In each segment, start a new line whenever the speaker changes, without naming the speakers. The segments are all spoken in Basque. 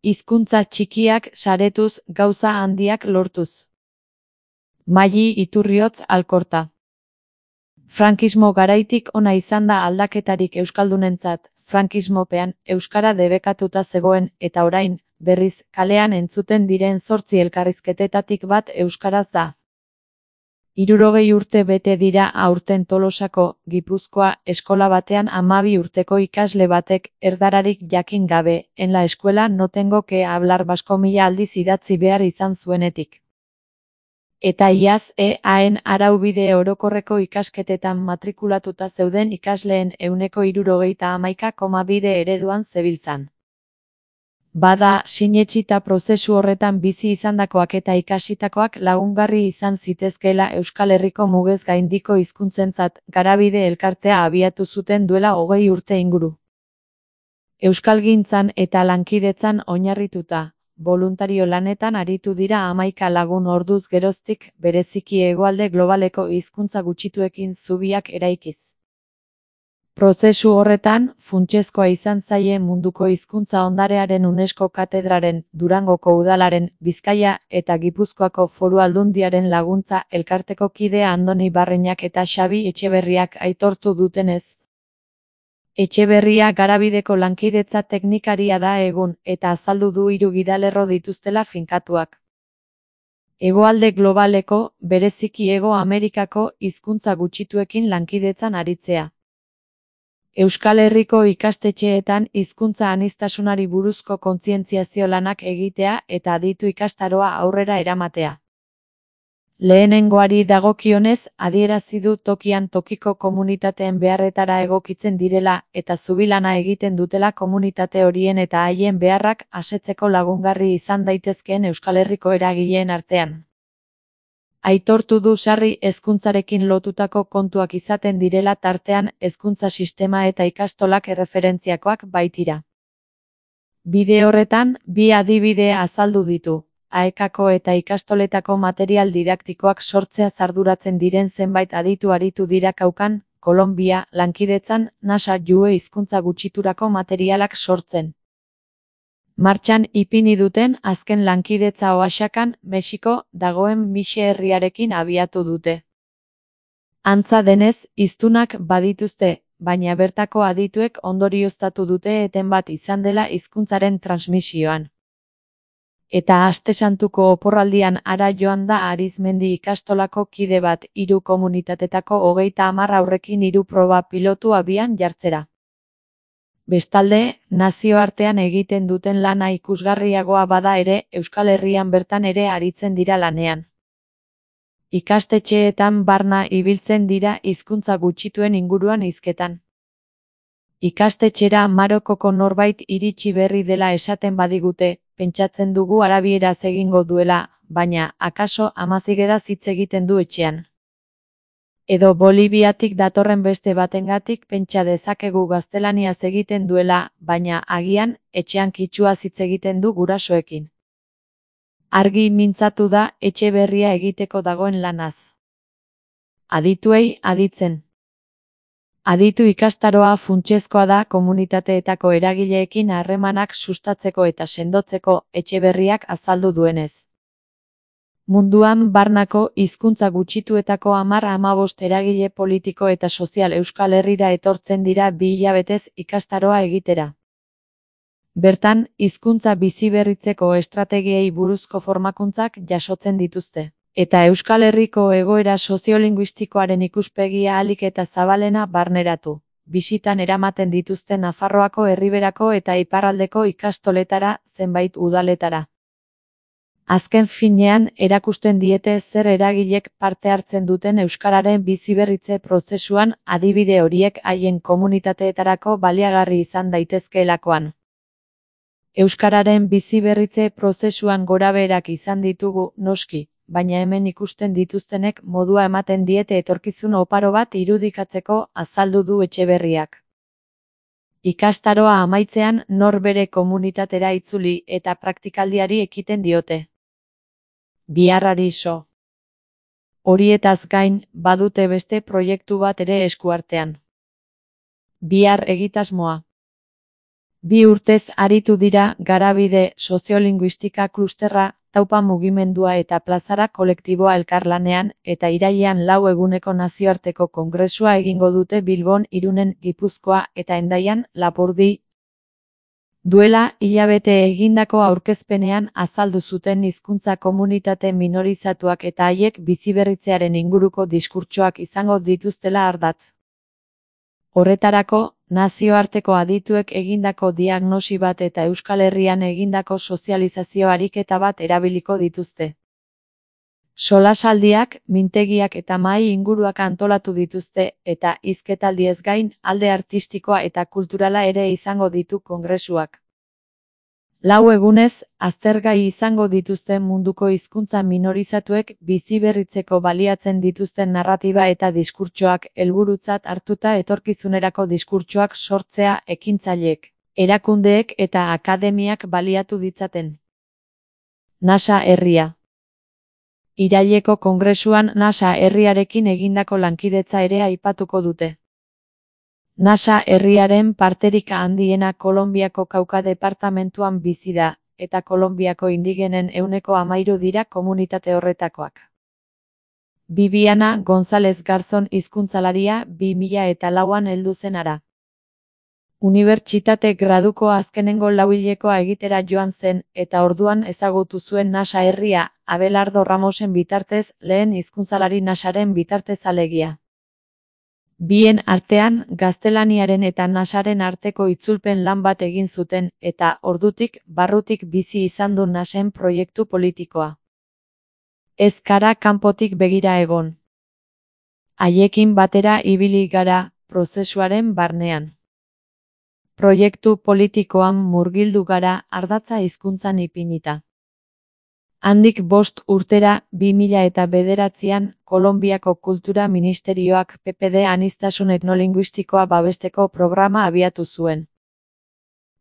hizkuntza txikiak saretuz, gauza handiak lortuz. Maili Iturriotz Alkorta. Frankismo garaitik ona izan da aldaketarik euskaldunentzat. Frankismopean euskara debekatuta zegoen eta orain, berriz, kalean entzuten diren 8 elkarrizketetatik bat euskaraz da. 60 urte bete dira aurten Tolosako, Gipuzkoa, eskola batean 12 urteko ikasle batek erdararik jakin gabe, en la escuela no tengo que hablar vasco 1000 aldiz idatzi behar izan zuenetik. Eta iaz EAen araubide orokorreko ikasketetan matrikulatuta zeuden ikasleen 71,2 ereduan zebiltzan. Bada, sinetsita prozesu horretan bizi izandakoak eta ikasitakoak lagungarri izan zitezkeela Euskal Herriko mugez gaindiko hizkuntzentzat Garabide elkartea abiatu zuten duela 20 urte inguru. Euskalgintzan eta lankidetzan oinarrituta, boluntario lanetan aritu dira 11 lagun orduz geroztik, bereziki hegoalde globaleko hizkuntza gutxituekin zubiak eraikiz. Prozesu horretan, funtsezkoa izan zaie munduko hizkuntza ondarearen UNESCO katedraren, Durangoko udalaren, Bizkaia eta Gipuzkoako Foru Aldundiaren laguntza elkarteko kide Andoni Barreñak eta Xabi Etxeberriak aitortu dutenez. Etxeberria Garabideko lankidetza teknikaria da egun, eta azaldu du 3 gidalerro dituztela finkatuak. Hegoalde globaleko, bereziki Hego Amerikako hizkuntza gutxituekin lankidetzan aritzea. Euskal Herriko ikastetxeetan hizkuntza aniztasunari buruzko kontzientziazio lanak egitea eta aditu ikastaroa aurrera eramatea. Lehenengoari dagokionez, adierazi du tokian tokiko komunitateen beharretara egokitzen direla eta zubilana egiten dutela komunitate horien eta haien beharrak asetzeko lagungarri izan daitezkeen Euskal Herriko eragileen artean. Aitortu du sarri hezkuntzarekin lotutako kontuak izaten direla tartean hezkuntza sistema eta ikastolak erreferentziakoak baitira. Bide horretan, 2 adibide azaldu ditu. AEKako eta ikastoletako material didaktikoak sortzeaz arduratzen diren zenbait aditu aritu dira Kaukan, Kolonbia, lankidetzan, NASA Jue hizkuntza gutxiturako materialak sortzen. Martxan ipini duten azken lankidetza Oaxakan, Mexiko, dagoen Mixe herriarekin abiatu dute. Antza denez, hiztunak badituzte, baina bertako adituek ondorioztatu dute eten bat izan dela hizkuntzaren transmisioan. Eta Aste Santuko oporraldian hara joan da Arizmendi ikastolako kide bat 3 komunitatetako 30 haurrekin 3 proba pilotu abian jartzera. Bestalde, nazioartean egiten duten lana ikusgarriagoa bada ere, Euskal Herrian bertan ere aritzen dira lanean. Ikastetxeetan barna ibiltzen dira hizkuntza gutxituen inguruan hizketan. Ikastetxera Marokoko norbait iritsi berri dela esaten badigute, pentsatzen dugu arabieraz egingo duela, baina, akaso amazigeraz hitz egiten du etxean. Edo Boliviatik datorren beste batengatik pentsa dezakegu gaztelaniaz egiten duela, baina agian, etxean kitxuaz hitz egiten du gurasoekin. Argi mintzatu da Etxeberria egiteko dagoen lanaz. Adituei aditzen. Aditu ikastaroa funtsezkoa da komunitateetako eragileekin harremanak sustatzeko eta sendotzeko, Etxeberriak azaldu duenez. Munduan barnako hizkuntza gutxituetako 10-15 eragile politiko eta sozial Euskal Herrira etortzen dira 2 hilabetez ikastaroa egitera. Bertan, hizkuntza biziberritzeko estrategiei buruzko formakuntzak jasotzen dituzte. Eta Euskal Herriko egoera soziolinguistikoaren ikuspegia ahalik eta zabalena barneratu. Bisitan eramaten dituzte Nafarroako Erriberako eta Iparraldeko ikastoletara, zenbait udaletara. Azken finean, erakusten diete zer eragilek parte hartzen duten euskararen biziberritze prozesuan, adibide horiek haien komunitateetarako baliagarri izan daitezkeelakoan. Euskararen biziberritze prozesuan gorabeherak izan ditugu, noski, baina hemen ikusten dituztenek modua ematen diete etorkizun oparo bat irudikatzeko, azaldu du Etxeberriak. Ikastaroa amaitzean nor bere komunitatera itzuli eta praktikaldiari ekiten diote. Biharrari so. Horietaz gain, badute beste proiektu bat ere eskuartean. Bihar egitasmoa. 2 urtez aritu dira Garabide Soziolinguistika klusterra, Taupa mugimendua eta Plazara kolektiboa elkarlanean, eta irailean 4 eguneko nazioarteko kongresua egingo dute Bilbon, Irunen, Gipuzkoa eta Hendaian, Lapurdi. Duela hilabete egindako aurkezpenean azaldu zuten hizkuntza komunitate minorizatuak eta haiek biziberritzearen inguruko diskurtsoak izango dituztela ardatz. Horretarako, nazioarteko adituek egindako diagnosi bat eta Euskal Herrian egindako sozializazio ariketa bat erabiliko dituzte. Solasaldiak, mintegiak eta mahai inguruak antolatu dituzte, eta hizketaldiez gain, alde artistikoa eta kulturala ere izango ditu kongresuak. 4 egunez, aztergai izango dituzten munduko hizkuntza minorizatuek biziberritzeko baliatzen dituzten narratiba eta diskurtsoak helburutzat hartuta etorkizunerako diskurtsoak sortzea ekintzaileek, erakundeek eta akademiak baliatu ditzaten. NASA herria. Iraileko kongresuan NASA herriarekin egindako lankidetza ere aipatuko dute. NASA herriaren parterik handiena Kolonbiako Kauka departamentuan bizi da, eta Kolonbiako indigenen 13% dira komunitate horretakoak. Bibiana González Garzón hizkuntzalaria 2004an heldu zen hara. Unibertsitate graduko azkenengo 4 hilekoa egitera joan zen, eta orduan ezagutu zuen NASA herria, Abelardo Ramosen bitartez, lehen hizkuntzalari NASaren bitartez alegia. Bien artean, gaztelaniaren eta NASaren arteko itzulpen lan bat egin zuten, eta ordutik, barrutik bizi izan du NASen proiektu politikoa. Ez gara kanpotik begira egon. Haiekin batera ibili gara, prozesuaren barnean. Proiektu politikoan murgildu gara, ardatza hizkuntzan ipinita. Handik 5 urtera, 2009an, Kolonbiako Kultura Ministerioak PPD aniztasun etnolinguistikoa babesteko programa abiatu zuen.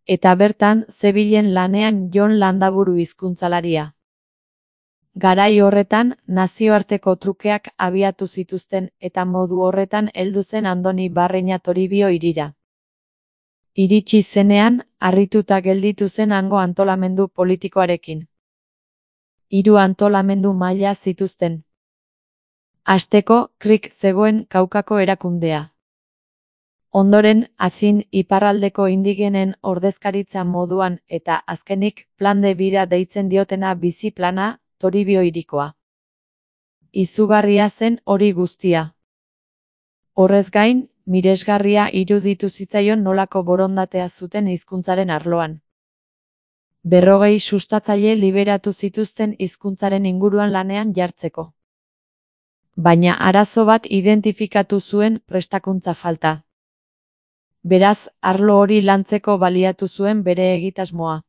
Eta bertan, zebilen lanean Jon Landaburu hizkuntzalaria. Garai horretan, nazioarteko trukeak abiatu zituzten, eta modu horretan heldu zen Andoni Barreña Toribio hirira. Iritsi zenean, harrituta gelditu zen hango antolamendu politikoarekin. 3 antolamendu maila zituzten. Hasteko, KRIK zegoen Kaukako erakundea. Ondoren, Azin iparraldeko indigenen ordezkaritza moduan eta azkenik, Plan de Vida deitzen diotena bizi plana, Toribio hirikoa. Izugarria zen hori guztia. Horrez gain, miresgarria iruditu zitzaion nolako borondatea zuten hizkuntzaren arloan. 40 sustatzaile liberatu zituzten hizkuntzaren inguruan lanean jartzeko. Baina arazo bat identifikatu zuen prestakuntza falta. Beraz, arlo hori lantzeko baliatu zuen bere egitasmoa.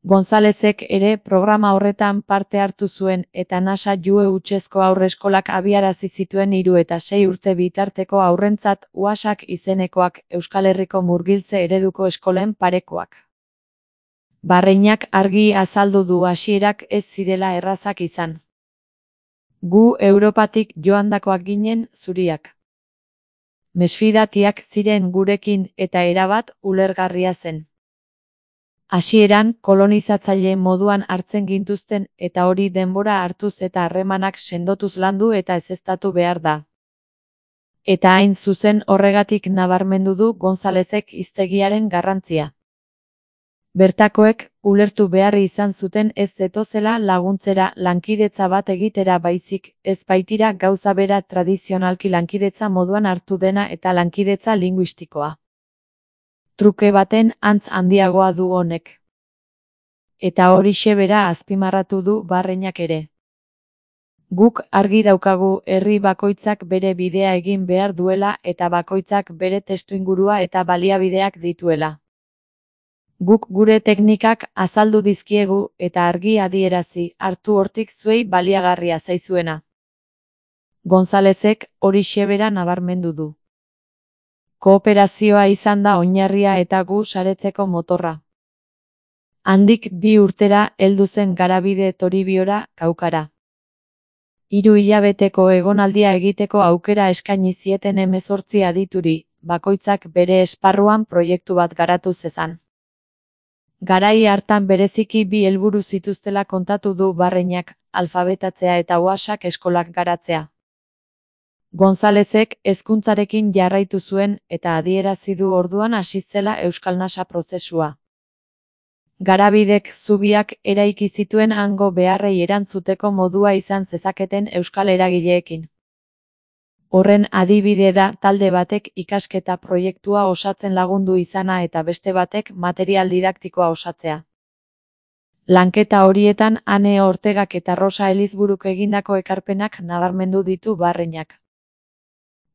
Gonzalezek ere programa horretan parte hartu zuen eta NASA Jue hutsezko haurreskolak abiarazi zituen 3 eta 6 urte bitarteko haurrentzat UASak izenekoak Euskal Herriko murgiltze ereduko eskolen parekoak. Barreñak argi azaldu du hasierak ez zirela errazak izan. Gu Europatik joandakoak ginen zuriak. Mesfidatiak ziren gurekin eta erabat ulergarria zen. Hasieran kolonizatzaile moduan hartzen gintuzten eta hori denbora hartuz eta harremanak sendotuz landu eta ezeztatu behar da. Eta hain zuzen horregatik nabarmendu du Gonzalezek hiztegiaren garrantzia. Bertakoek, ulertu behar izan zuten ez zetozela laguntzera lankidetza bat egitera baizik, ez baitira gauza bera tradizionalki lankidetza moduan hartu dena eta lankidetza linguistikoa. Truke baten antz handiagoa du honek. Eta horixe bera azpimarratu du Barreñak ere. Guk argi daukagu herri bakoitzak bere bidea egin behar duela eta bakoitzak bere testuingurua eta baliabideak dituela. Guk gure teknikak azaldu dizkiegu eta argi adierazi hartu hortik zuei baliagarria zaizuena. Gonzalezek horixe bera nabarmendu du. Kooperazioa izan da oinarria eta gu saretzeko motorra. Handik 2 urtera heldu zen Garabide Toribiora, Kaukara. 3 hilabeteko egonaldia egiteko aukera eskaini zieten 18 adituri, bakoitzak bere esparruan proiektu bat garatu zezan. Garai hartan bereziki bi helburu zituztela kontatu du Barreinak, alfabetatzea eta UASak eskolak garatzea. Gonzalezek hezkuntzarekin jarraitu zuen eta adierazi du orduan hasi zela Euskal Nasa prozesua. Garabidek zubiak eraiki zituen hango beharrei erantzuteko modua izan zezaketen euskal eragileekin. Horren adibide da talde batek ikasketa proiektua osatzen lagundu izana eta beste batek material didaktikoa osatzea. Lanketa horietan Ane Ortegak eta Rosa Elizburuk egindako ekarpenak nabarmendu ditu Barreinak.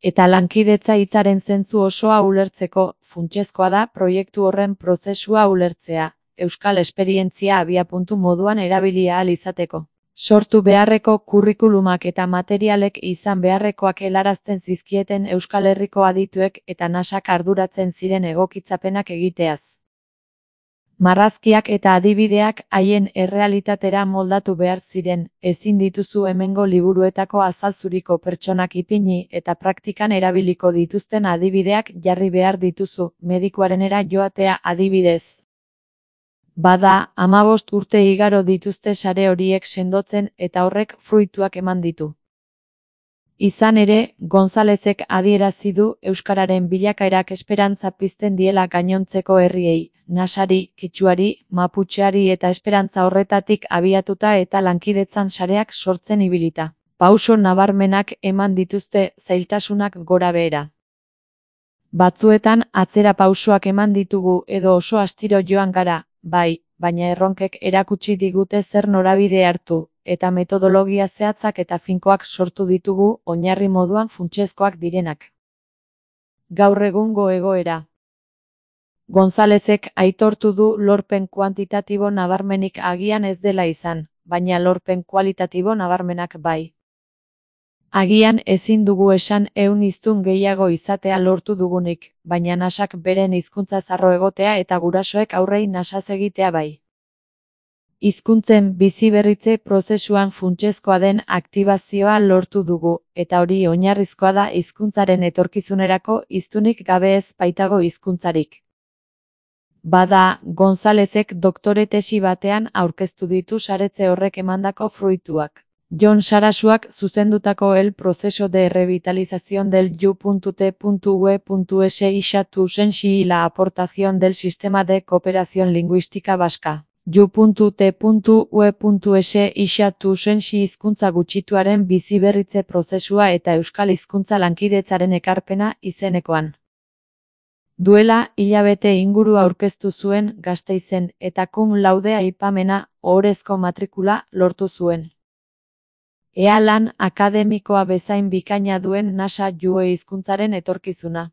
Eta lankidetza hitzaren zentzu osoa ulertzeko, funtsezkoa da proiektu horren prozesua ulertzea, euskal esperientzia abiapuntu moduan erabili ahal izateko. Sortu beharreko kurrikulumak eta materialek izan beharrekoak helarazten zizkieten Euskal Herriko adituek eta Nasak arduratzen ziren egokitzapenak egiteaz. Marrazkiak eta adibideak haien errealitatera moldatu behar ziren, ezin dituzu hemengo liburuetako azalzuriko pertsonak ipini eta praktikan erabiliko dituzten adibideak jarri behar dituzu, medikuarenera joatea adibidez. Bada, 15 urte igaro dituzte sare horiek sendotzen eta horrek fruituak eman ditu. Izan ere, Gonzalezek adierazi du euskararen bilakaerak esperantza pizten diela gainontzeko herriei, Nasari, Kitxuari, Maputxeari eta esperantza horretatik abiatuta eta lankidetzan sareak sortzen ibilita. Pauso nabarmenak eman dituzte zailtasunak gora behera. Batzuetan atzera pausoak eman ditugu edo oso astiro joan gara, bai, baina erronkek erakutsi digute zer norabide hartu, eta metodologia zehatzak eta finkoak sortu ditugu oinarri moduan funtsezkoak direnak. Gaur egungo egoera. Gonzalezek aitortu du lorpen kuantitatibo nabarmenik agian ez dela izan, baina lorpen kualitatibo nabarmenak bai. Agian ezin dugu esan 100 hiztun gehiago izatea lortu dugunik, baina Nasak beren hizkuntza zarro egotea eta gurasoek aurrei nasaz egitea bai. Hizkuntzen biziberritze prozesuan funtsezkoa den aktibazioa lortu dugu, eta hori oinarrizkoa da hizkuntzaren etorkizunerako hiztunik gabe ez baitago hizkuntzarik. Bada, Gonzalezek doktore tesi batean aurkeztu ditu saretze horrek emandako fruituak. Jon Sarasuak zuzendutako El proceso de revitalización del U.T.V.S. y la aportación del sistema de cooperación lingüística vasca. U.T.V.S. hizkuntza gutxituaren biziberritze prozesua eta euskal hizkuntza lankidetzaren ekarpena izenekoan. Duela hilabete inguru aurkeztu zuen Gasteizen eta cum laude aipamena ohorezko matrikula lortu zuen. Ea lan akademikoa bezain bikaina duen Nasa Jue hizkuntzaren etorkizuna.